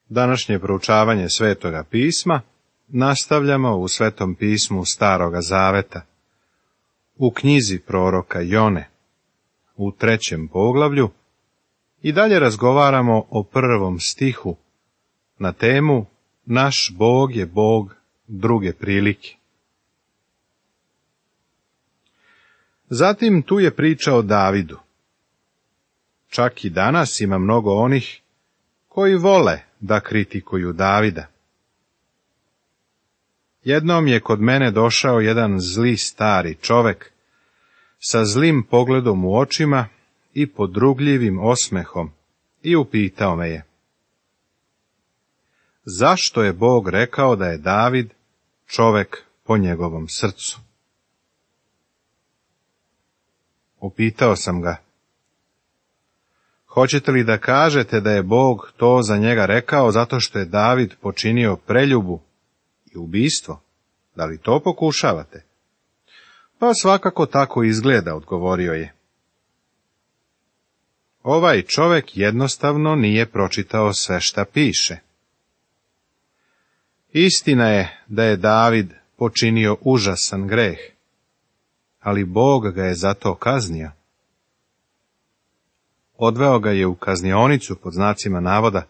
Današnje proučavanje Svetoga pisma nastavljamo u Svetom pismu Staroga Zaveta, u knjizi proroka Jone, u 3. poglavlju, i dalje razgovaramo o 1. stihu na temu Naš Bog je Bog druge prilike. Zatim tu je priča o Davidu. Čak i danas ima mnogo onih koji vole da kritikuju Davida. Jednom je kod mene došao jedan zli stari čovek sa zlim pogledom u očima i podrugljivim osmehom i upitao me je: zašto je Bog rekao da je David čovek po njegovom srcu? Upitao sam ga: hoćete li da kažete da je Bog to za njega rekao zato što je David počinio preljubu i ubistvo? Da li to pokušavate? Pa svakako tako izgleda, odgovorio je. Ovaj čovek jednostavno nije pročitao sve šta piše. Istina je da je David počinio užasan greh, ali Bog ga je za to kaznio. Odveo ga je u kaznionicu pod znacima navoda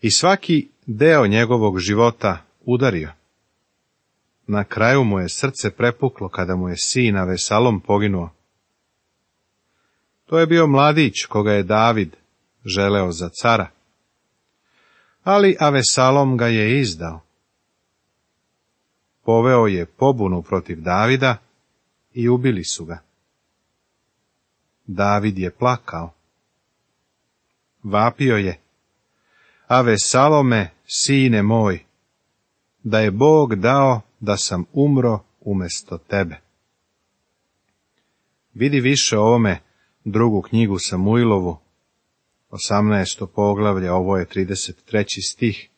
i svaki deo njegovog života udario. Na kraju mu je srce prepuklo kada mu je sin Avesalom poginuo. To je bio mladić koga je David želeo za cara, ali Avesalom ga je izdao. Poveo je pobunu protiv Davida i ubili su ga. David je plakao. Vapio je: Avesalome, sine moj, da je Bog dao da sam umro umesto tebe. Vidi više o ovome drugu knjigu Samuilovu, 18. poglavlje, ovo je 33. stih,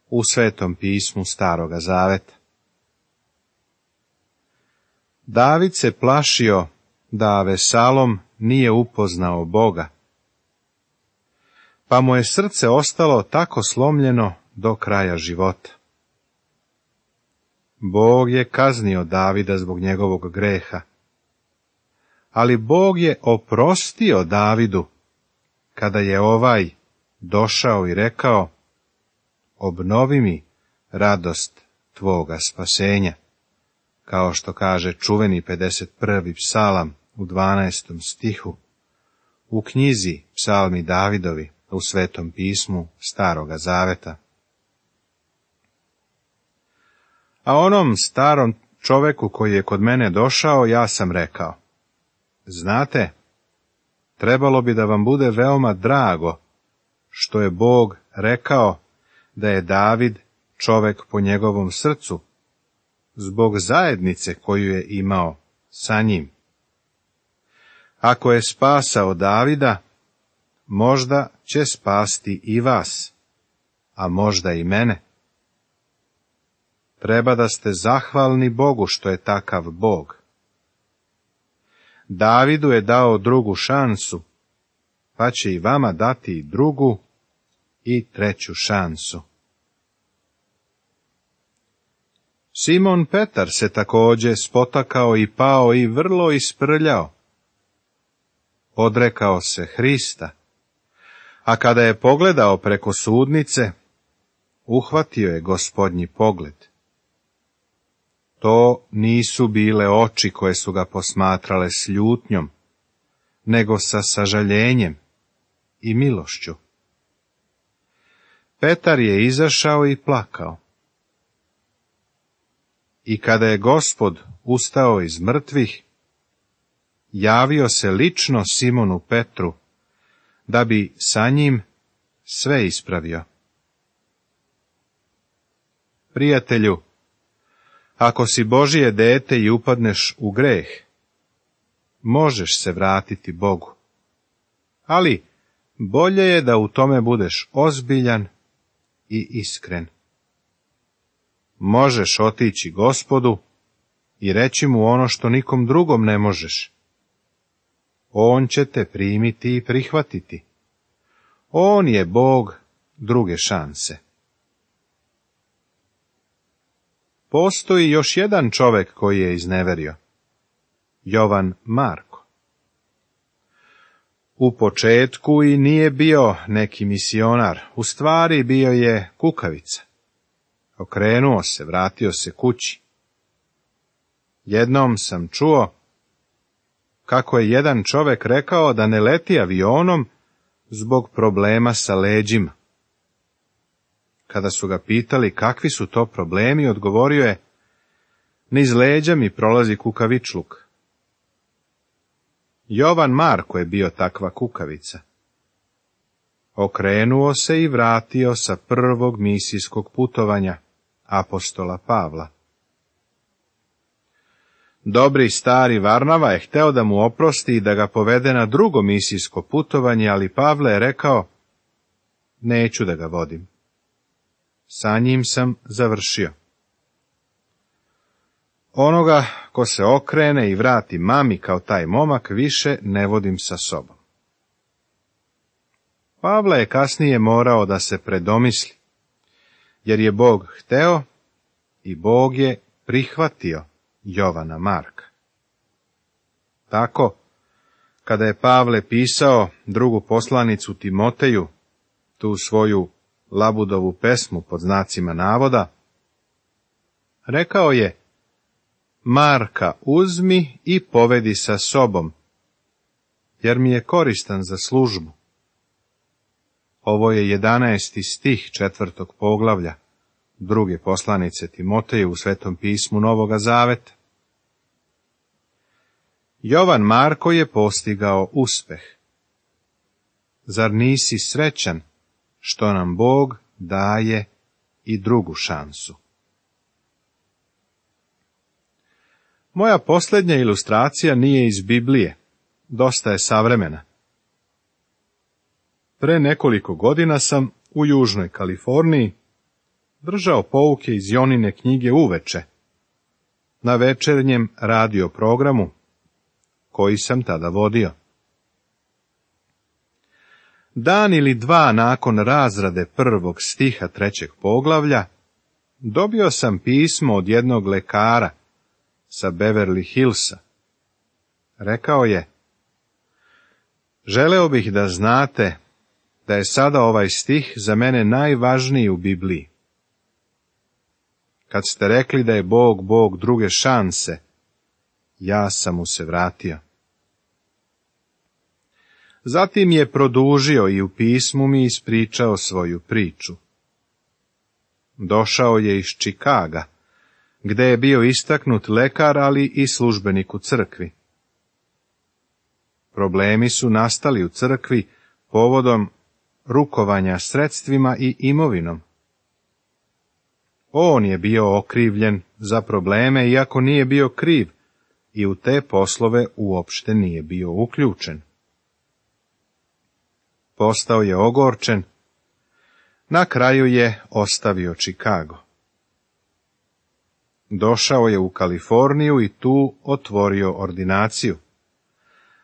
u Svetom pismu Staroga Zaveta. David se plašio da Avesalom nije upoznao Boga, pa mu je srce ostalo tako slomljeno do kraja života. Bog je kaznio Davida zbog njegovog greha, ali Bog je oprostio Davidu kada je ovaj došao i rekao: obnovi mi radost tvoga spasenja, kao što kaže čuveni 51. psalam u 12. stihu, u knjizi Psalmi Davidovi u Svetom pismu Staroga Zaveta. A onom starom čoveku koji je kod mene došao, ja sam rekao: znate, trebalo bi da vam bude veoma drago što je Bog rekao da je David čovek po njegovom srcu, zbog zajednice koju je imao sa njim. Ako je spasao Davida, možda će spasti i vas, a možda i mene. Treba da ste zahvalni Bogu što je takav Bog. Davidu je dao drugu šansu, pa će i vama dati drugu i treću šansu. Simon Petar se također spotakao i pao i vrlo isprljao. Odrekao se Hrista, a kada je pogledao preko sudnice, uhvatio je Gospodnji pogled. To nisu bile oči koje su ga posmatrale s ljutnjom, nego sa sažaljenjem i milošću. Petar je izašao i plakao. I kada je Gospod ustao iz mrtvih, javio se lično Simonu Petru, da bi sa njim sve ispravio. Prijatelju, ako si Božije dete i upadneš u greh, možeš se vratiti Bogu. Ali bolje je da u tome budeš ozbiljan i iskren. Možeš otići Gospodu i reći mu ono što nikom drugom ne možeš. On će te primiti i prihvatiti. On je Bog druge šanse. Postoji još jedan čovjek koji je izneverio. Jovan Marko. U početku i nije bio neki misionar, u stvari bio je kukavica. Okrenuo se, vratio se kući. Jednom sam čuo kako je jedan čovjek rekao da ne leti avionom zbog problema sa leđima. Kada su ga pitali kakvi su to problemi, odgovorio je: niz leđa mi prolazi kukavičluk. Jovan Marko je bio takva kukavica. Okrenuo se i vratio sa prvog misijskog putovanja apostola Pavla. Dobri stari Varnava je hteo da mu oprosti i da ga povede na drugo misijsko putovanje, ali Pavle je rekao: neću da ga vodim. Sa njim sam završio. Onoga ko se okrene i vrati mami kao taj momak više ne vodim sa sobom. Pavle je kasnije morao da se predomisli, jer je Bog hteo i Bog je prihvatio Jovana Marka. Tako, kada je Pavle pisao drugu poslanicu Timoteju, tu svoju Labudovu pesmu pod znacima navoda, rekao je: Marka uzmi i povedi sa sobom, jer mi je koristan za službu. Ovo je 11. stih 4. poglavlja druge poslanice Timoteju u Svetom pismu Novoga Zaveta. Jovan Marko je postigao uspeh. Zar nisi srećan što nam Bog daje i drugu šansu? Moja posljednja ilustracija nije iz Biblije, dosta je savremena. Pre nekoliko godina sam u Južnoj Kaliforniji držao pouke iz Jonine knjige uveče, na večernjem radio programu koji sam tada vodio. Dan ili dva nakon razrade prvog stiha 3. poglavlja, dobio sam pismo od jednog lekara sa Beverly Hillsa. Rekao je: želeo bih da znate da je sada ovaj stih za mene najvažniji u Bibliji. Kad ste rekli da je Bog Bog druge šanse, ja sam mu se vratio. Zatim je produžio i u pismu mi ispričao svoju priču. Došao je iz Čikaga, gde je bio istaknut lekar, ali i službenik u crkvi. Problemi su nastali u crkvi povodom rukovanja sredstvima i imovinom. On je bio okrivljen za probleme, iako nije bio kriv, i u te poslove uopšte nije bio uključen. Postao je ogorčen, na kraju je ostavio Čikago. Došao je u Kaliforniju i tu otvorio ordinaciju,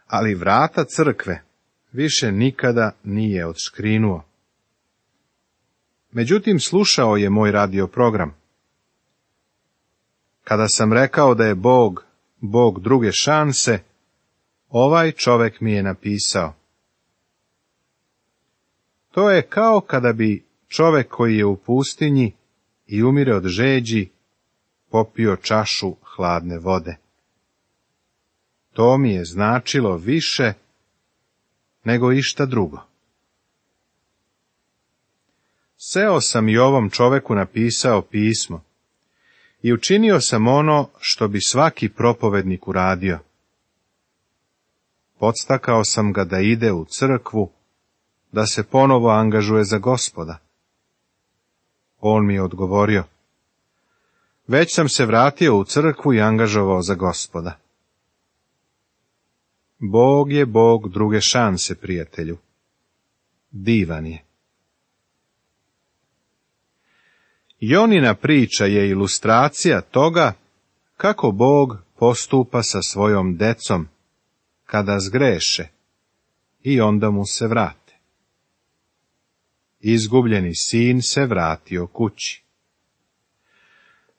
ali vrata crkve više nikada nije odškrinuo. Međutim, slušao je moj radio program. Kada sam rekao da je Bog Bog druge šanse, ovaj čovjek mi je napisao: to je kao kada bi čovjek koji je u pustinji i umire od žeđi popio čašu hladne vode. To mi je značilo više nego išta drugo. Seo sam i ovom čoveku napisao pismo i učinio sam ono što bi svaki propovednik uradio. Podstakao sam ga da ide u crkvu, da se ponovo angažuje za Gospoda. On mi je odgovorio: već sam se vratio u crkvu i angažovao za Gospoda. Bog je Bog druge šanse, prijatelju. Divan je. Jonina priča je ilustracija toga kako Bog postupa sa svojom decom kada zgreše i onda mu se vrate. izgubljeni sin se vratio kući.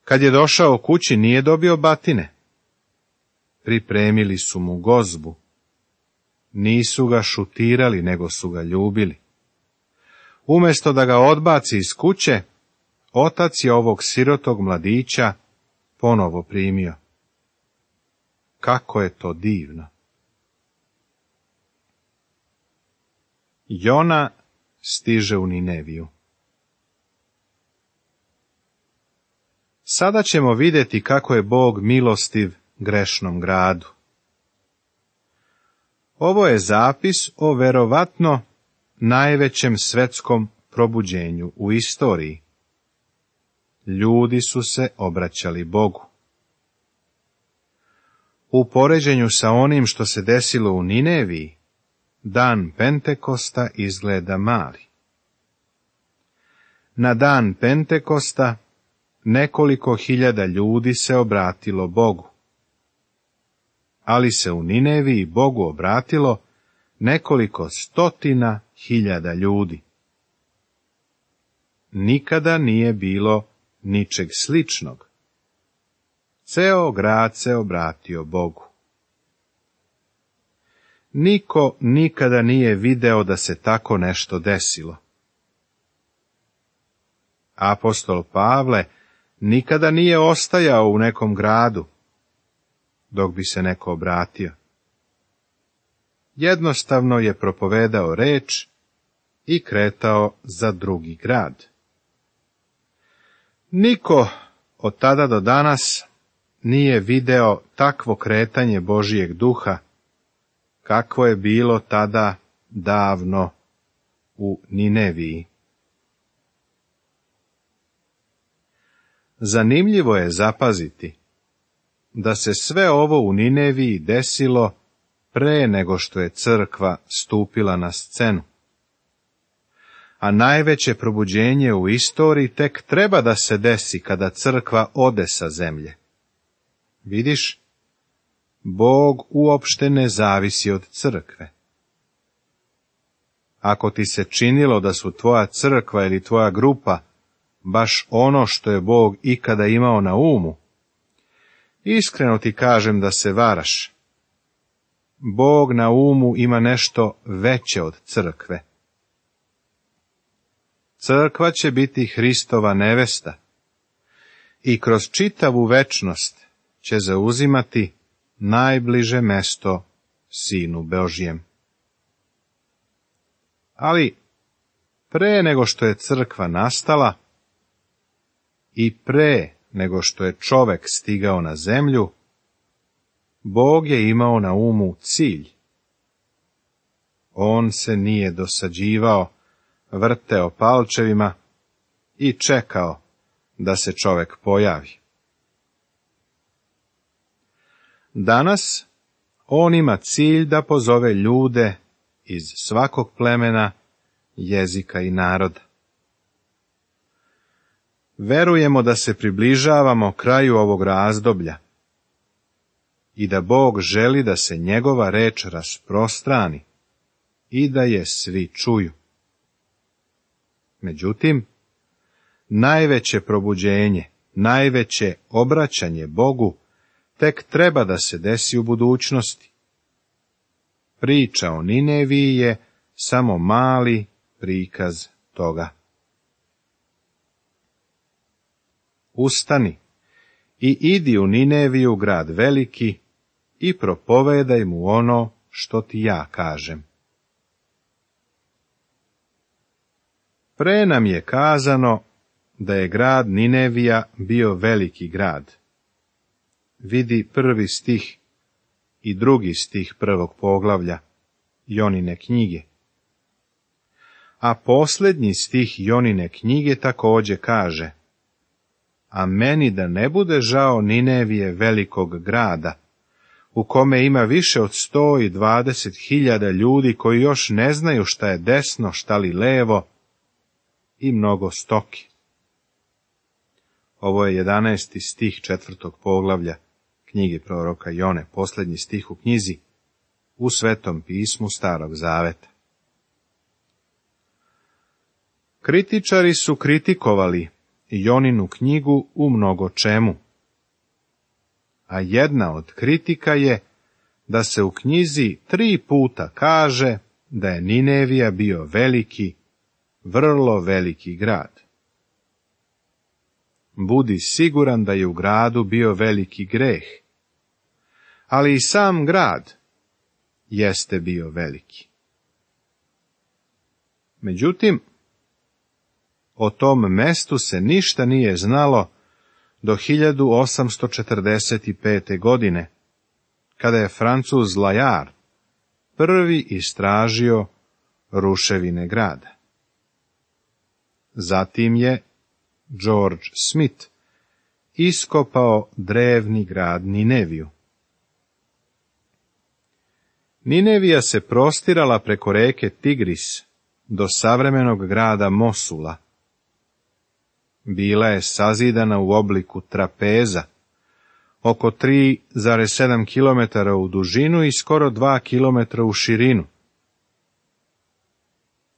Kad je došao kući, nije dobio batine. Pripremili su mu gozbu. Nisu ga šutirali, nego su ga ljubili. Umjesto da ga odbaci iz kuće, otac je ovog sirotog mladića ponovo primio. Kako je to divno! Jona stiže u Nineviju. Sada ćemo vidjeti kako je Bog milostiv grešnom gradu. Ovo je zapis o verovatno najvećem svetskom probuđenju u istoriji. Ljudi su se obraćali Bogu. U poređenju sa onim što se desilo u Nineviji, dan Pentekosta izgleda mali. Na dan Pentekosta nekoliko hiljada ljudi se obratilo Bogu. Ali se u Nineviji Bogu obratilo nekoliko stotina hiljada ljudi. Nikada nije bilo ničeg sličnog. Ceo grad se obratio Bogu. Niko nikada nije video da se tako nešto desilo. Apostol Pavle nikada nije ostajao u nekom gradu, dok bi se neko obratio. Jednostavno je propovedao reč i kretao za drugi grad. Niko od tada do danas nije video takvo kretanje Božijeg duha, kakvo je bilo tada davno u Nineviji. Zanimljivo je zapaziti da se sve ovo u Nineviji desilo pre nego što je crkva stupila na scenu. A najveće probuđenje u istoriji tek treba da se desi kada crkva ode sa zemlje. Vidiš, Bog uopšte ne zavisi od crkve. Ako ti se činilo da su tvoja crkva ili tvoja grupa baš ono što je Bog ikada imao na umu, iskreno ti kažem da se varaš. Bog na umu ima nešto veće od crkve. Crkva će biti Hristova nevesta i kroz čitavu večnost će zauzimati najbliže mesto Sinu Božjem. Ali pre nego što je crkva nastala i pre nego što je čovek stigao na zemlju, Bog je imao na umu cilj. On se nije dosađivao, vrteo palčevima i čekao da se čovek pojavi. Danas on ima cilj da pozove ljude iz svakog plemena, jezika i naroda. Verujemo da se približavamo kraju ovog razdoblja i da Bog želi da se njegova reč rasprostrani i da je svi čuju. Međutim, najveće probuđenje, najveće obraćanje Bogu tek treba da se desi u budućnosti. Priča o Nineviji je samo mali prikaz toga. Ustani i idi u Nineviju, grad veliki, i propovedaj mu ono što ti ja kažem. Pre nam je kazano da je grad Ninevija bio veliki grad. Vidi 1. stih i 2. stih 1. poglavlja Jonine knjige. A posljednji stih Jonine knjige također kaže: a meni da ne bude žao Ninevije, velikog grada, u kome ima više od 120.000 ljudi koji još ne znaju šta je desno, šta li levo, i mnogo stoki. Ovo je 11. stih 4. poglavlja knjige proroka Jone, posljednji stih u knjizi, u Svetom pismu Starog Zaveta. Kritičari su kritikovali Joninu knjigu u mnogo čemu, a jedna od kritika je da se u knjizi 3 puta kaže da je Ninevija bio veliki, vrlo veliki grad. Budi siguran da je u gradu bio veliki greh, ali i sam grad jeste bio veliki. Međutim, o tom mestu se ništa nije znalo do 1845. godine, kada je Francuz Layard prvi istražio ruševine grada. Zatim je George Smith iskopao drevni grad Nineviju. Ninevija se prostirala preko reke Tigris do savremenog grada Mosula. Bila je sazidana u obliku trapeza, oko 3,7 km u dužinu i skoro 2 km u širinu.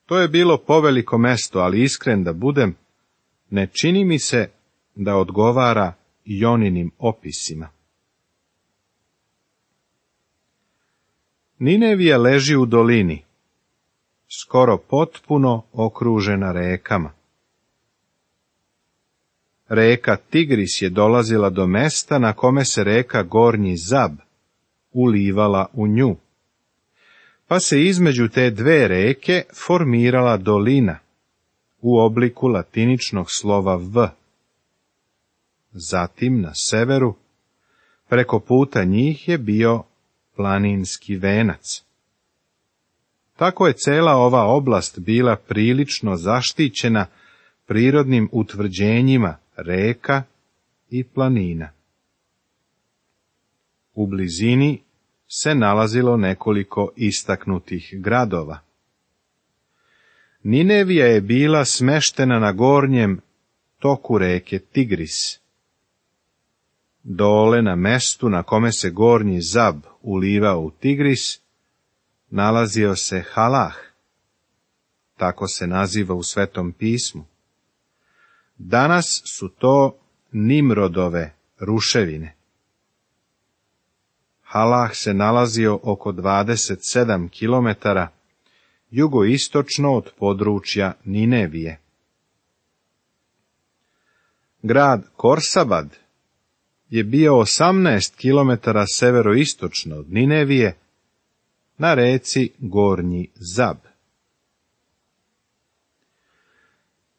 To je bilo poveliko mesto, ali iskren da budem, ne čini mi se da odgovara Joninim opisima. Ninevija leži u dolini, skoro potpuno okružena rekama. Reka Tigris je dolazila do mesta na kome se reka Gornji Zab ulivala u nju, pa se između te 2 reke formirala dolina u obliku latiničnog slova V. Zatim na severu, preko puta njih je bio planinski venac. Tako je cela ova oblast bila prilično zaštićena prirodnim utvrđenjima reka i planina. U blizini se nalazilo nekoliko istaknutih gradova. Ninevija je bila smeštena na gornjem toku reke Tigris. Dole na mestu na kome se Gornji Zab ulivao u Tigris, nalazio se Halah, tako se naziva u Svetom pismu. Danas su to Nimrodove ruševine. Halah se nalazio oko 27 km jugoistočno od područja Ninevije. Grad Korsabad je bio 18 km severoistočno od Ninevije, na reci Gornji Zab.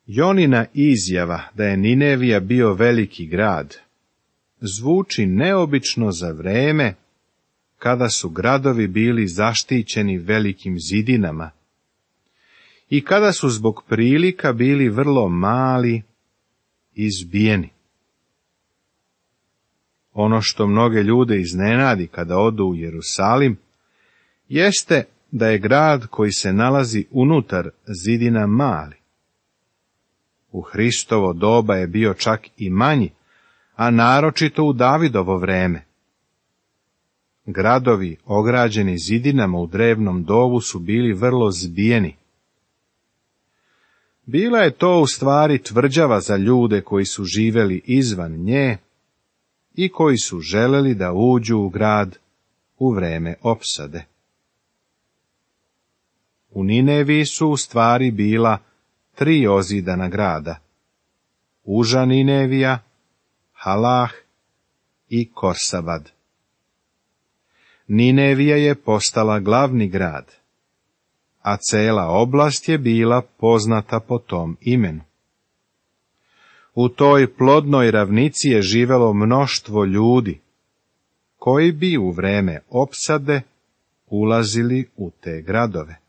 Jonina izjava da je Ninevija bio veliki grad zvuči neobično za vreme kada su gradovi bili zaštićeni velikim zidinama i kada su zbog prilika bili vrlo mali i zbijeni. Ono što mnoge ljude iznenadi kada odu u Jerusalim jeste da je grad koji se nalazi unutar zidina mali. U Hristovo doba je bio čak i manji, a naročito u Davidovo vreme. Gradovi ograđeni zidinama u drevnom dovu su bili vrlo zbijeni. Bila je to u stvari tvrđava za ljude koji su živeli izvan nje i koji su želeli da uđu u grad u vreme opsade. U Nineviji su u stvari bila 3 ozidana grada: Uža Ninevija, Halah i Korsabad. Ninevija je postala glavni grad, a cela oblast je bila poznata po tom imenu. U toj plodnoj ravnici je živelo mnoštvo ljudi, koji bi u vreme opsade ulazili u te gradove.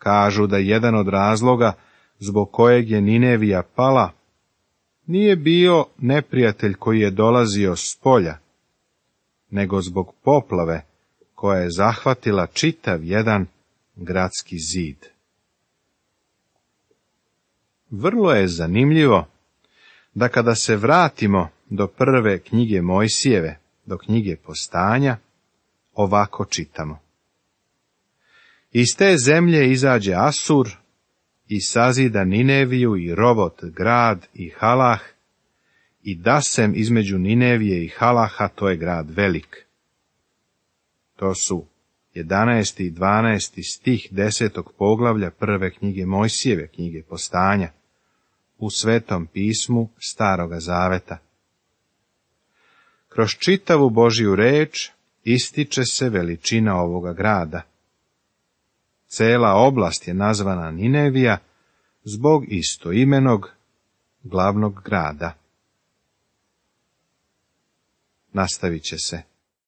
Kažu da jedan od razloga zbog kojeg je Ninevija pala nije bio neprijatelj koji je dolazio s polja, nego zbog poplave koja je zahvatila čitav jedan gradski zid. Vrlo je zanimljivo da kada se vratimo do prve knjige Mojsijeve, do knjige Postanja, ovako čitamo. Iz te zemlje izađe Asur i sazida Nineviju i Rovot grad i Halah, i dasem između Ninevije i Halaha, to je grad velik. To su 11. i 12. stih 10. poglavlja prve knjige Mojsijeve, knjige Postanja, u Svetom pismu Staroga zaveta. Kroz čitavu Božju reč ističe se veličina ovoga grada. Cela oblast je nazvana Ninevija zbog istoimenog glavnog grada. Nastavit će se.